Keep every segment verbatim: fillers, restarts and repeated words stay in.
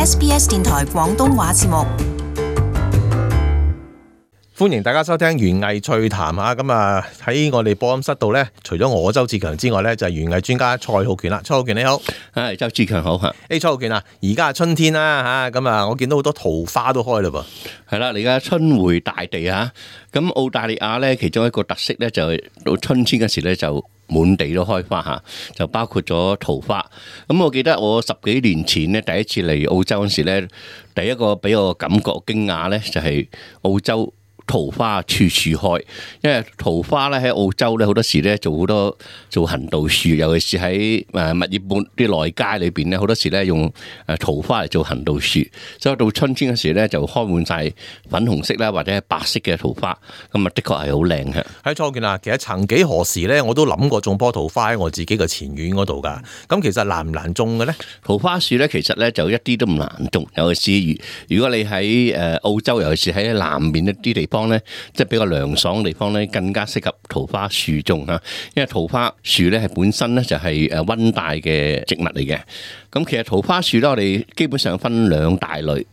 S B S 電台廣東話節目。歡迎大家收聽園藝趣談嚇，咁啊喺我哋播音室度咧，除咗我周志強之外咧，就係園藝專家蔡浩權啦。蔡浩權你好，係周志強好嚇。誒蔡浩權啊，而家係春天啦嚇，咁啊我見到好多桃花都開嘞噃。係啦，而家春回大地嚇，咁澳大利亞咧其中一個特色咧就係到春天嗰時咧就滿地都開花嚇，就包括咗桃花。咁我記得我十幾年前咧第一次嚟澳洲嗰時咧，第一個俾我感覺驚訝咧就係澳洲桃花處處開，因為桃花咧喺澳洲咧好多時咧做好多做行道樹，尤其是喺誒墨爾本啲內街裏邊咧，好多時咧用誒桃花嚟做行道樹，所以到春天嗰時咧就開滿晒粉紅色啦或者係白色嘅桃花，咁啊的確係好靚嘅。喺蔡浩權啊，其實曾幾何時咧，我都諗過種棵桃花喺我自己嘅前院嗰度㗎。咁其實難唔難種嘅咧？桃花樹咧其實咧就一啲都唔難種，尤其是如果你喺誒澳洲，尤其是喺南面一啲地方咧，即係比較涼爽嘅地方咧，更加適合桃花樹種嚇。因為桃花樹咧係本身咧就係誒溫帶嘅植物嚟嘅。咁其實桃花樹咧，我哋基本上分兩大類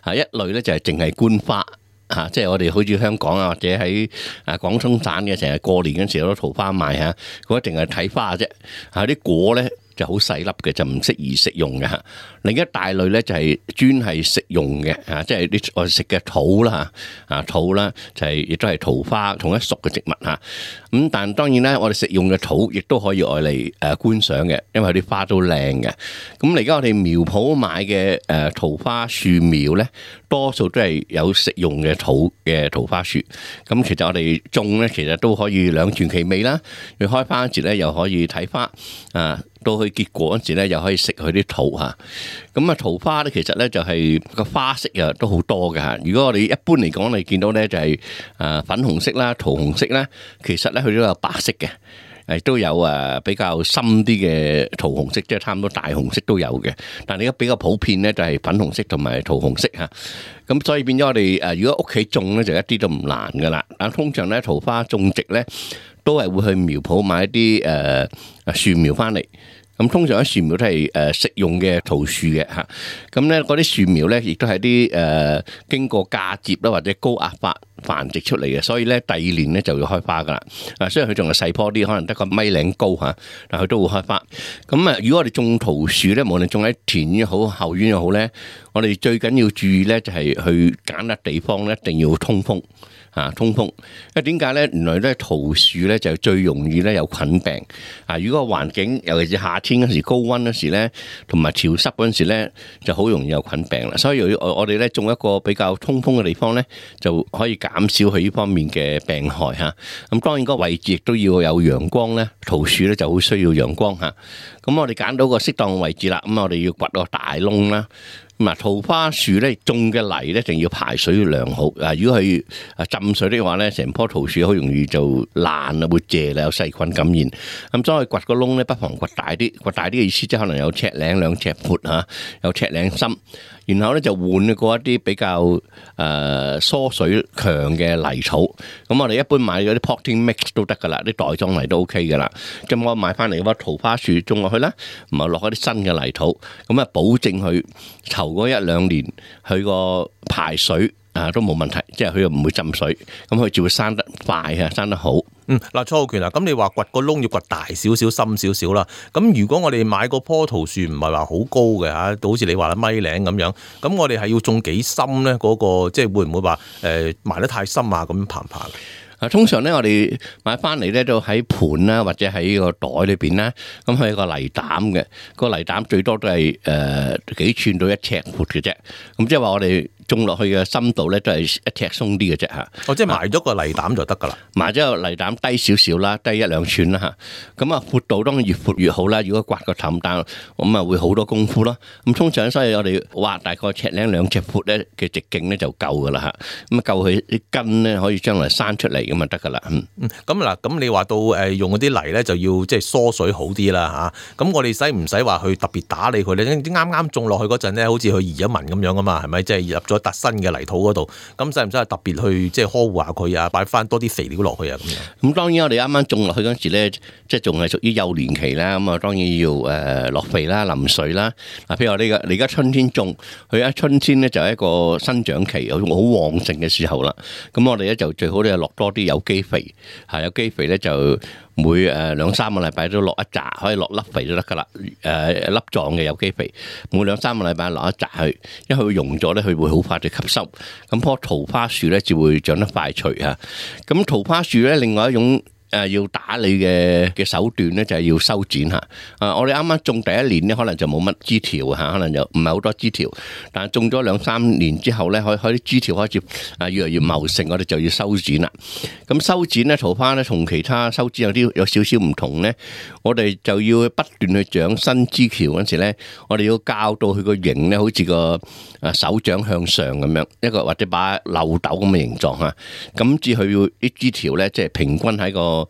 嚇，一類咧就係淨係觀花嚇，即係我哋好似香港啊或者喺啊廣東省嘅成日過年嗰陣時有啲桃花賣嚇，嗰一定係睇花啫嚇，啲果咧就好細粒嘅，就唔適宜食用嘅嚇。另一大類咧就係專係食用嘅嚇，即係啲我哋食嘅桃啦嚇，啊桃啦就係亦都係桃花同一屬嘅植物嚇。咁但當然咧，我哋食用嘅桃亦都可以愛嚟誒觀賞嘅，因為啲花都靚嘅。咁而家我哋苗圃買嘅誒桃花樹苗咧，多數都係有食用嘅桃嘅桃花樹。咁其實我哋種咧，其實都可以兩全其美啦。你開花嗰時咧，又可以睇花啊。到去結果嗰時咧，又可以食佢啲桃嚇。咁啊，桃花咧其實咧就係個花色啊都好多嘅嚇。如果我哋一般嚟講，你見到咧就係誒粉紅色啦、桃紅色啦，其實咧佢都有白色嘅，誒都有誒比較深啲嘅桃紅色，即係差唔多大紅色都有嘅。但係而家比較普遍咧就係粉紅色同埋桃紅色嚇。咁所以變咗我哋誒，如果屋企種咧就一啲都唔難噶啦。但通常咧桃花種植咧，都係會去苗圃買一啲誒誒樹苗翻嚟，咁通常啲樹苗都係誒食用嘅桃樹嘅嚇，咁咧嗰啲樹苗咧亦都係啲誒經過嫁接啦或者高壓發繁殖出嚟嘅，所以咧第二年咧就要開花噶啦。啊，雖然佢仲係細棵啲，可能得個米零高嚇，但佢都會開花。咁啊，如果我哋種桃樹咧，無論種喺田院好後院又好咧，我哋最緊要注意咧就係去揀笪地方咧，一定要通風。啊，通風，因為點解咧？原來咧桃樹咧就最容易咧有菌病。啊，如果個環境尤其是夏天嗰時高溫嗰時咧，同埋潮濕嗰陣時咧，就好容易有菌病啦。所以我我哋咧種一個比較通風嘅地方咧，就可以減少佢呢方面嘅病害嚇。咁當然個位置亦都要有陽光咧，桃樹咧就好需要陽光嚇。咁我哋揀到個適當嘅位置啦，咁我哋要掘個大窿啦。咁桃花樹咧種嘅泥咧，一定要排水良好。啊，如果佢啊浸水的話咧，成棵桃樹好容易就爛啊，會謝啦，有細菌感染。咁所以掘個窿咧，不妨掘大啲。掘大啲嘅意思即係可能有尺零兩尺闊嚇，有尺零深。然後咧就換過一啲比較誒、呃、疏水強嘅泥土。咁我哋一般買嗰啲 potting mix 都得噶啦，啲袋裝泥都 OK 噶啦。咁我買翻嚟嗰棵桃花樹種落去啦，唔係落一啲新嘅泥土，咁啊保證佢頭嗰一兩年佢個排水啊都冇問題，即係佢又唔會浸水，咁佢就會生得快啊，生得好。嗯，嗱，蔡浩權啊，咁你話掘個窿要掘大少少、深少少啦。咁如果我哋買個棵桃樹唔係話好高嘅嚇，好似你話啦米零咁樣，咁我哋係要種幾深咧？嗰、嗰個即係會唔會話誒埋得太深啊？咁爬唔爬嘅？啊，通常咧我哋買翻嚟咧都喺盤啦，或者喺個袋裏邊啦，咁佢有個泥膽嘅，個泥膽最多都係誒、呃、幾寸到一尺闊嘅啫。咁即係話我哋種落去嘅深度咧都係一尺鬆啲嘅啫嚇。哦，即係埋咗個泥膽就得㗎啦。埋咗個泥膽低少少啦，低一兩寸啦嚇。咁啊闊度當然越闊越好啦。如果刮個氹彈，咁啊會好多功夫咯。咁通常所以我哋挖大概尺零兩尺闊咧嘅直徑咧就夠㗎啦嚇。咁啊夠佢啲根咧可以將來生出嚟。咁就得噶啦，嗯，咁嗱，咁你話到誒用嗰啲泥咧就要即係疏水好啲啦嚇，咁我哋使唔使話去特別打理佢咧？啱啱種落去嗰陣咧，好似佢移咗民咁樣啊嘛，係咪？即係入咗笪新嘅泥土嗰度，咁使唔使特別去即係呵護下佢啊？擺翻多啲肥料落去啊咁樣。咁當然我哋啱啱種落去嗰陣時咧，即係仲係屬於幼年期啦，咁啊當然要誒落肥啦、淋水啦。嗱，譬如我哋而家春天種，佢一春天咧就係一個生長期，有好旺盛嘅時候啦。咁我哋咧就最好咧落多啲有機肥，係有機肥咧就每誒兩三個禮拜都落一紮，可以落粒肥都得噶啦。誒粒狀嘅有機肥，每兩三個禮拜落一紮去，因為佢溶咗咧，佢會好快就吸收。咁棵桃花樹咧就會長得快脆嚇。咁桃花樹咧另外一種誒要打理嘅嘅手段咧，就係要修剪嚇。啊，我哋啱啱種第一年咧，可能就冇乜枝條嚇，可能就唔係好多枝條。但係種咗兩三年之後咧，可可啲枝條開始啊越嚟越茂盛，我哋就要修剪啦。咁修剪咧，桃花咧同其他修剪有啲有少少唔同咧，我哋就要不斷去長新枝條嗰陣時咧，我哋要教到佢個形咧，好似個啊手掌向上咁樣，一個或者把漏斗咁嘅形狀嚇。咁至佢要啲枝條咧，即係平均喺個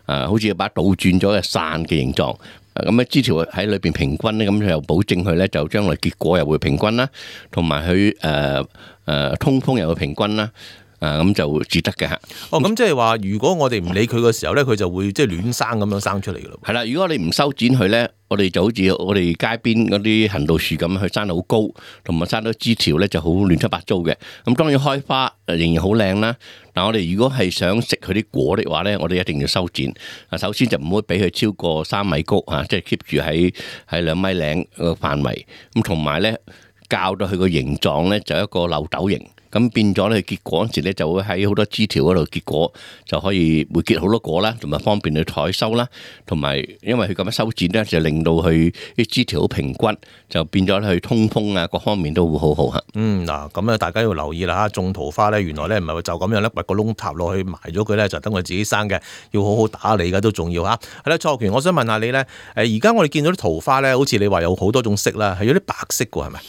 啊，好似把倒轉咗嘅傘嘅形狀，咁咧枝條喺裏邊平均咧，咁又保證佢咧就將來結果又會平均啦，同埋佢誒誒通風又會平均啦。啊，咁就至得嘅嚇。哦，咁即係話，如果我哋唔理佢嘅時候咧，佢就會即係亂生咁樣生出嚟嘅咯。係啦，如果你唔修剪佢咧，我哋就好似我哋街邊嗰啲行道樹咁，佢生得好高，同埋生到枝條咧就好亂七八糟嘅。咁當然開花仍然好靚啦。但我哋如果係想食佢啲果的話咧，我哋一定要修剪。啊，首先就唔好俾佢超過三米高嚇，即係 keep 住喺喺兩米零個範圍。咁同埋咧，教到佢個形狀咧就一個漏斗形。咁變咗咧，結果嗰時咧就會喺好多枝條嗰度結果，就可以會結好多果啦，同埋方便去採收啦。同埋因為佢咁樣修剪咧，就令到佢啲枝條好平均，就變咗佢通風啊，各方面都會好好嚇。嗯，嗱，咁啊，大家要留意啦嚇，種桃花咧，原來咧唔係就咁樣咧，掘個窿塔落去埋咗佢咧，就等佢自己生嘅，要好好打理嘅都重要嚇。係啦，蔡學權，我想問下你咧，誒而家我哋見到啲桃花咧，好似你話有好多種色啦，係有啲白色嘅係咪？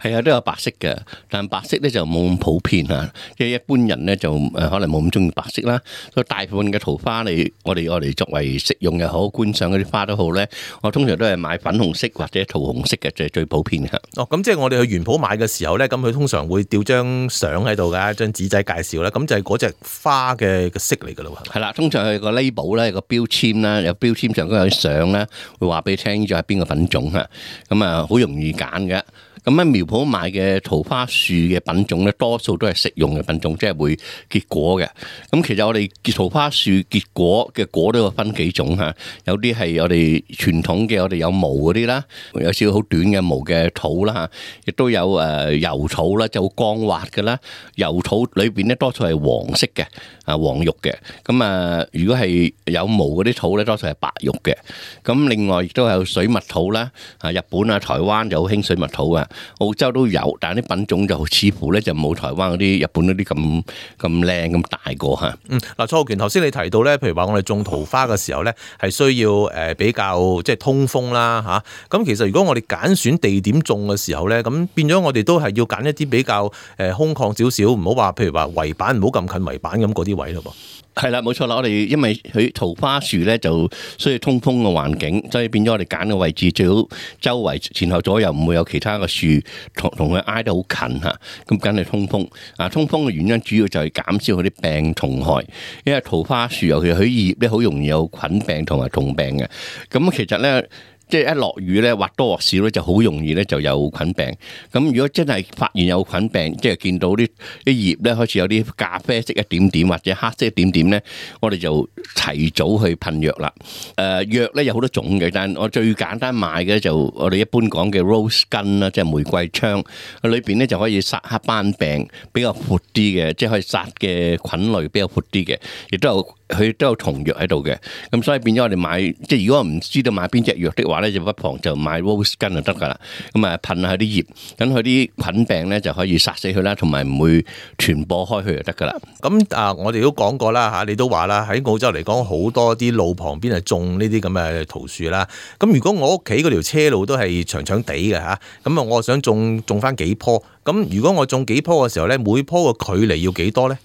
係啊，都有白色嘅，但白色咧就冇咁普遍啊，即係一般人咧就誒可能冇咁中意白色啦。所以大部分嘅桃花你我哋我哋作為食用又好，觀賞嗰啲花都好咧，我通常都係買粉紅色或者桃紅色嘅，就係最普遍嘅。哦，咁即係我哋去園圃買嘅時候咧，咁佢通常會吊張相喺度㗎，張紙仔介紹咧，咁就係嗰隻花嘅嘅色嚟㗎咯。係啦，通常係個 label 咧，個標籤啦，有標籤上都有相啦，會話俾你聽呢種係邊個品種嚇，咁啊好容易揀嘅。咁喺苗圃買嘅桃花樹嘅品種咧，多數都係食用嘅品種，即係會結果嘅。咁其實我哋桃花樹結果嘅果都有分幾種嚇，有啲係我哋傳統嘅，我哋有毛嗰啲啦，有少少好短嘅毛嘅草啦嚇，亦都有誒油草啦，就好光滑嘅啦。油草裏邊咧多數係黃色嘅，啊黃肉嘅。咁啊，如果係有毛嗰啲草咧，多數係白肉嘅。咁另外亦都有水蜜桃啦，啊日本啊台灣就好興水蜜桃啊。澳洲都有，但係啲品種就似乎咧就冇台灣嗰啲、日本嗰啲咁咁靚咁大個嚇。嗯，嗱，蔡學權頭先你提到咧，譬如話我哋種桃花嘅時候咧，係需要誒比較即係通風啦嚇。咁其實如果我哋揀選地點種嘅時候咧，咁變咗我哋都係要揀一啲比較誒空曠少少，唔好話譬如話圍板唔好咁近圍板咁嗰啲位咯噃。係啦，冇錯啦，我哋因為佢桃花樹咧就需要通風嘅環境，所以變咗我哋揀嘅位置最好周圍前後左右唔會有其他嘅樹同同佢挨得好近嚇，咁梗係通風。啊，通風嘅原因主要就係減少佢啲病蟲害，因為桃花樹尤其佢葉咧好容易有菌病同埋蟲病嘅。咁其實咧，即係一落雨咧，或多或少咧就好容易咧就有菌病。咁如果真係發現有菌病，即係見到啲啲葉咧開始有啲咖啡色一點點或者黑色一點點咧，我哋就提早去噴藥啦。誒藥咧有好多種嘅，但係我最簡單買嘅就我哋一般講嘅 rose gun 啦，即係玫瑰槍，裏邊咧就可以殺黑斑病比較闊啲嘅，即係可以殺嘅菌類比較闊啲嘅，亦都有佢都有蟲藥喺度嘅。咁所以變咗我哋買，即係如果我唔知道買邊隻藥的話，話咧就不妨就買 rose gun 就得噶啦，咁啊噴下啲葉，咁佢啲菌病咧就可以殺死佢啦，同埋唔會傳播開去就得噶啦。咁啊，我哋都講過啦嚇，你都話啦，喺澳洲嚟講好多啲路旁邊係種呢啲咁嘅桃樹啦。咁如果我屋企嗰條車路都係長長地嘅嚇，咁啊，我想種種翻幾棵。咁如果我種幾棵嘅時候咧，每棵嘅距離要幾多咧？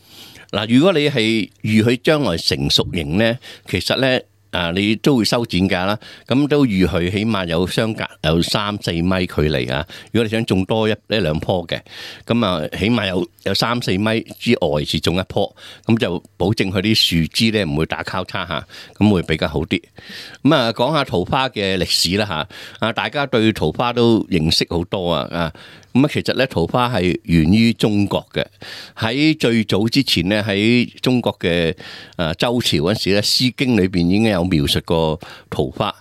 嗱，如果你係預佢將來成熟型咧，其實咧。啊，你都會修剪架啦，咁都預佢起碼有相隔有三四米距離啊。如果你想種多一一兩棵嘅，咁啊起碼有有三四米之外是種一棵，咁就保證佢啲樹枝咧唔會打交叉嚇，咁會比較好啲。咁啊講下桃花嘅歷史啦嚇，啊大家對桃花都認識好多啊啊！咁啊，其實咧桃花係源於中國嘅。喺最早之前咧，喺中國嘅誒周朝嗰陣時咧，《詩經》裏邊已經有描述過桃花。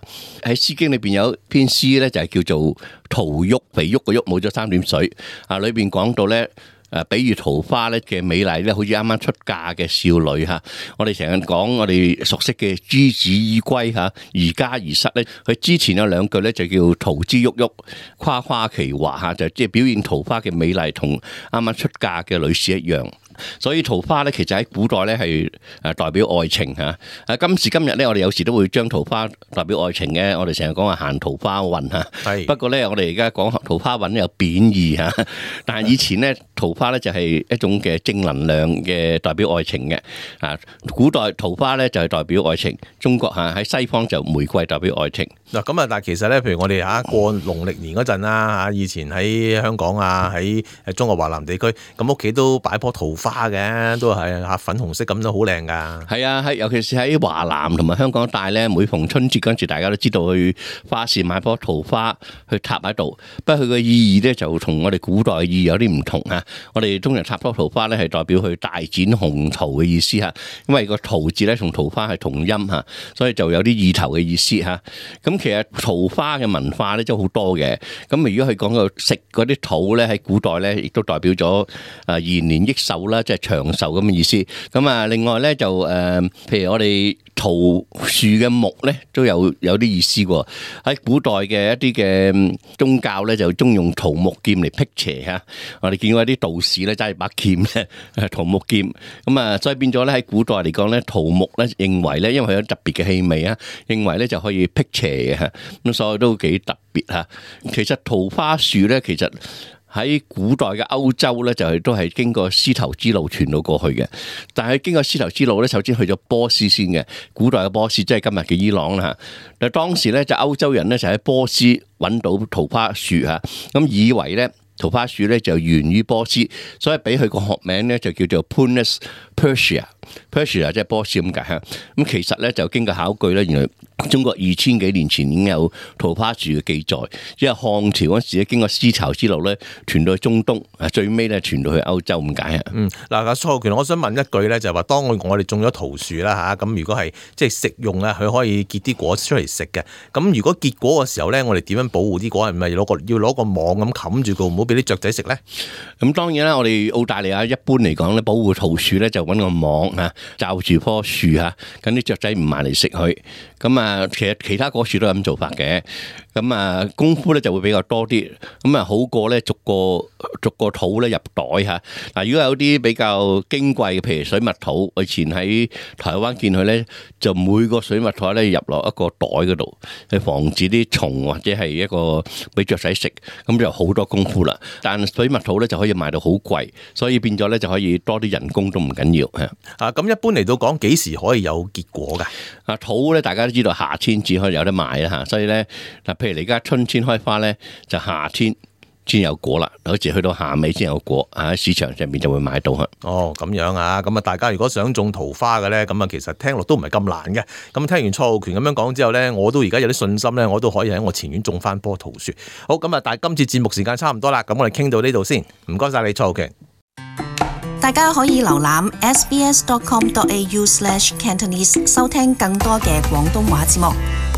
喺《詩經》裏邊有篇詩咧，就係叫做《桃郁》，肥沃個郁冇咗三點水啊，裏邊講到咧。誒，比喻桃花咧嘅美麗咧，好似啱啱出嫁嘅少女嚇。我哋成日講我哋熟悉嘅朱子伊歸嚇，宜家宜室咧，佢之前有兩句咧就叫桃之郁郁，誇誇其華嚇，就即係表現桃花嘅美麗，同啱啱出嫁嘅女士一樣。所以桃花咧，其實喺古代咧係誒代表愛情嚇。誒今時今日咧，我哋有時都會將桃花代表愛情嘅。我哋成日講話行桃花運嚇。係。不過咧，我哋而家講桃花運有貶義嚇。但係以前咧，桃花咧就係一種嘅正能量嘅代表愛情嘅。啊，古代桃花咧就係代表愛情。中國嚇喺西方就玫瑰代表愛情。嗱咁啊，但係其實咧，譬如我哋嚇過農曆年嗰陣啦嚇，以前喺香港啊，喺誒中國華南地區，咁屋企都擺棵桃花。花嘅都係嚇粉紅色咁都好靚噶。係啊，喺尤其是喺華南同埋香港一帶咧，每逢春節嗰陣時，大家都知道去花市買棵桃花去插喺度。不過佢嘅意義咧就同我哋古代嘅意義有啲唔同啊。我哋通常插棵桃花咧係代表去大展宏圖嘅意思嚇，因為個桃字咧同桃花係同音嚇，所以就有啲意頭嘅意思嚇。咁其實桃花嘅文化咧都好多嘅。咁如果佢講到食嗰啲桃咧，喺古代咧亦都代表咗誒延年益壽啦。即係長壽咁嘅意思，咁啊，另外咧就誒，譬如我哋桃樹嘅木咧，都有有啲意思喎。喺古代嘅一啲嘅宗教咧，就中用桃木劍嚟辟邪嚇。我哋見過一啲道士咧揸住把劍咧，桃木劍咁啊，所以變咗咧喺古代嚟講咧，桃木咧認為咧，因為佢有特別嘅氣味啊，認為咧就可以辟邪嘅嚇。咁所以都幾特別嚇。其實桃花樹咧，其實喺古代嘅歐洲咧，就係都係經過絲綢之路傳到過去嘅。但係經過絲綢之路咧，首先去咗波斯先嘅。古代嘅波斯即係今日嘅伊朗啦嚇。但係當時咧就歐洲人咧就喺波斯揾到桃花樹嚇，咁以為咧桃花樹咧就源於波斯，所以俾佢個學名咧就叫做 Prunus Persia。Persia 即係波斯咁解嚇。咁其實咧就經過考據咧，原來中國二千幾年前已經有桃花樹嘅記載，因為漢朝嗰時咧經過絲綢之路咧傳到去中東，啊最尾咧傳到去歐洲咁解啊。嗯，嗱，阿蔡浩權，我想問一句咧，就係話當我哋種咗桃樹啦嚇，咁如果係即係食用啊，佢可以結啲果出嚟食嘅。咁如果結果嘅時候咧，我哋點樣保護啲果？係咪攞個要攞個網咁冚住佢，唔好俾啲雀仔食咧？咁當然啦，我哋澳大利亞一般嚟講咧，保護桃樹咧就揾個網啊罩住棵樹嚇，咁啲雀仔唔埋嚟食佢。咁啊，其實其他果樹都係咁做法嘅。咁啊，功夫咧就會比較多啲。咁啊，好過咧逐個逐個土咧入袋嚇。嗱，如果有啲比較矜貴嘅，譬如水蜜桃，我以前喺台灣見佢咧，就每個水蜜桃咧入落一個袋嗰度，去防止啲蟲或者係一個俾雀仔食。咁就好多功夫啦。但水蜜桃咧就可以賣到好貴，所以變咗咧就可以多啲人工都唔緊要嚇。啊，咁一般嚟到講幾時可以有結果㗎？啊，桃咧大家都知道夏天至可以有得賣啦嚇，所以咧嗱，譬如你而家春天開花咧，就夏天先有果啦，好似去到夏尾先有果，喺市場上面就會買到。哦，咁樣啊，咁啊，大家如果想種桃花嘅咧，咁啊，其實聽落都唔係咁難嘅。咁聽完蔡浩權咁樣講之後咧，我都而家有啲信心咧，我都可以喺我前院種翻棵桃樹。好，咁啊，但係今次節目時間差唔多啦，咁我哋傾到呢度先，唔該晒你，蔡浩權。大家可以瀏覽 s b s dot com dot a u slash cantonese 收聽更多嘅廣東話節目。